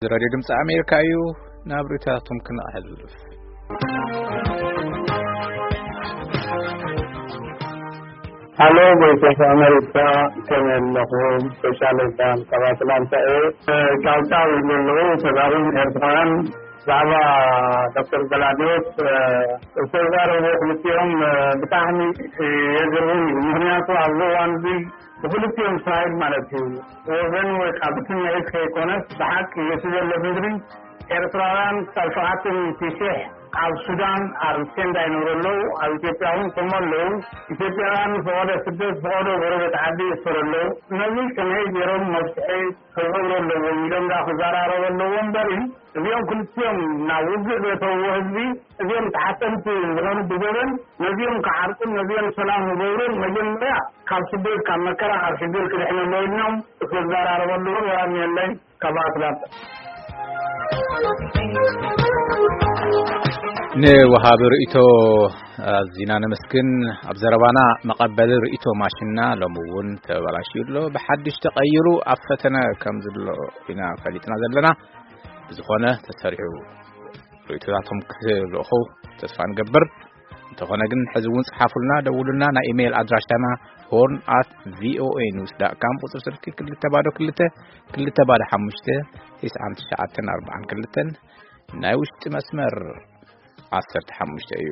ሬድዮ ድምፂ ኣሜሪካ እዩ። ናብ ርእይቶታትኩም ክነሕልፍ። ሃሎ፣ ቮይስ ኦፍ ኣሜሪካ፣ ከመይ ኣለኹም? ስፔሻል ካብ ኣትላንታ እየ። እ፣ ጫውጫው ይብሉ ኣለዉ ተጋሩን ኤርትራውያን ብዛዕባ ዶክተር ገላዲዮስ፣ እ፣ ዝተዛረቡ ክልቲኦም፣ እ፣ ብጣዕሚ፣ እ፣ የግርም እዩ። ምኽንያቱ ኣብዚ እዋን እዚ ብክልቲኦም ሳይድ ማለት እዩ፣ ወገን ወይ ካብ ስምዒት ከይኮነስ ብሓቂ እቲ ዘሎ ምድሪ ኤርትራውያን ክሳብ ሸውዓተ ሚእቲ ሺሕ ኣብ ሱዳን ኣብ ቴንዳ ይነብሩ ኣለዉ። ኣብ ኢትዮጵያ እውን ከምኡ ኣለዉ። ኢትዮጵያውያን ፈቐዶ ስደት ፈቐዶ ጎረቤት ዓዲ ይእሰሩ ኣለዉ። ነዚ ከመይ ገይሮም መፍትሒ ክገብሩ ኣለዎም ኢሎም ዳ ክዘራረቡ ኣለዎ እምበሪ፣ እዚኦም ክልቲኦም ናብ ውግእ ዘእተውዎ ህዝቢ፣ እዚኦም ተሓተምቲ ዝኾኑ ብገበን፣ ነዚኦም ክዓርቁን ነዚኦም ሰላም ክገብሩን መጀመርያ ካብ ስደት፣ ካብ መከራ፣ ካብ ሽግር ክድሕኑ ኣለዎ ኢሎም ክዘራረቡ ኣለዎም። ሰላም የለይ። ካብ ኣትላንታ። ንወሃቢ ርእይቶ ኣዚና ነመስግን። ኣብ ዘረባና መቐበሊ ርእይቶ ማሽንና ሎሚ እውን ተበላሽዩ ኣሎ። ብሓድሽ ተቐይሩ ኣብ ፈተነ ከም ዘሎ ኢና ፈሊጥና ዘለና። ብዝኾነ ተሰሪዑ ርእይቶታቶም ክልእኹ ተስፋ ንገብር። እንተኾነ ግን ሕዚ እውን ጽሓፉልና፣ ደውሉልና። ናይ ኢሜይል ኣድራሻና ሆርን ኣት ቪኦኤ ኒውስ ዳት ካም፣ ቁጽሪ ስልኪ ክልተ ባዶ ክልተ፣ ክልተ ባዶ ሓሙሽተ፣ ትስዓን ትሽዓተን ኣርባዓን ክልተን፣ ናይ ውሽጢ መስመር ዓሰርተ ሓሙሽተ እዩ።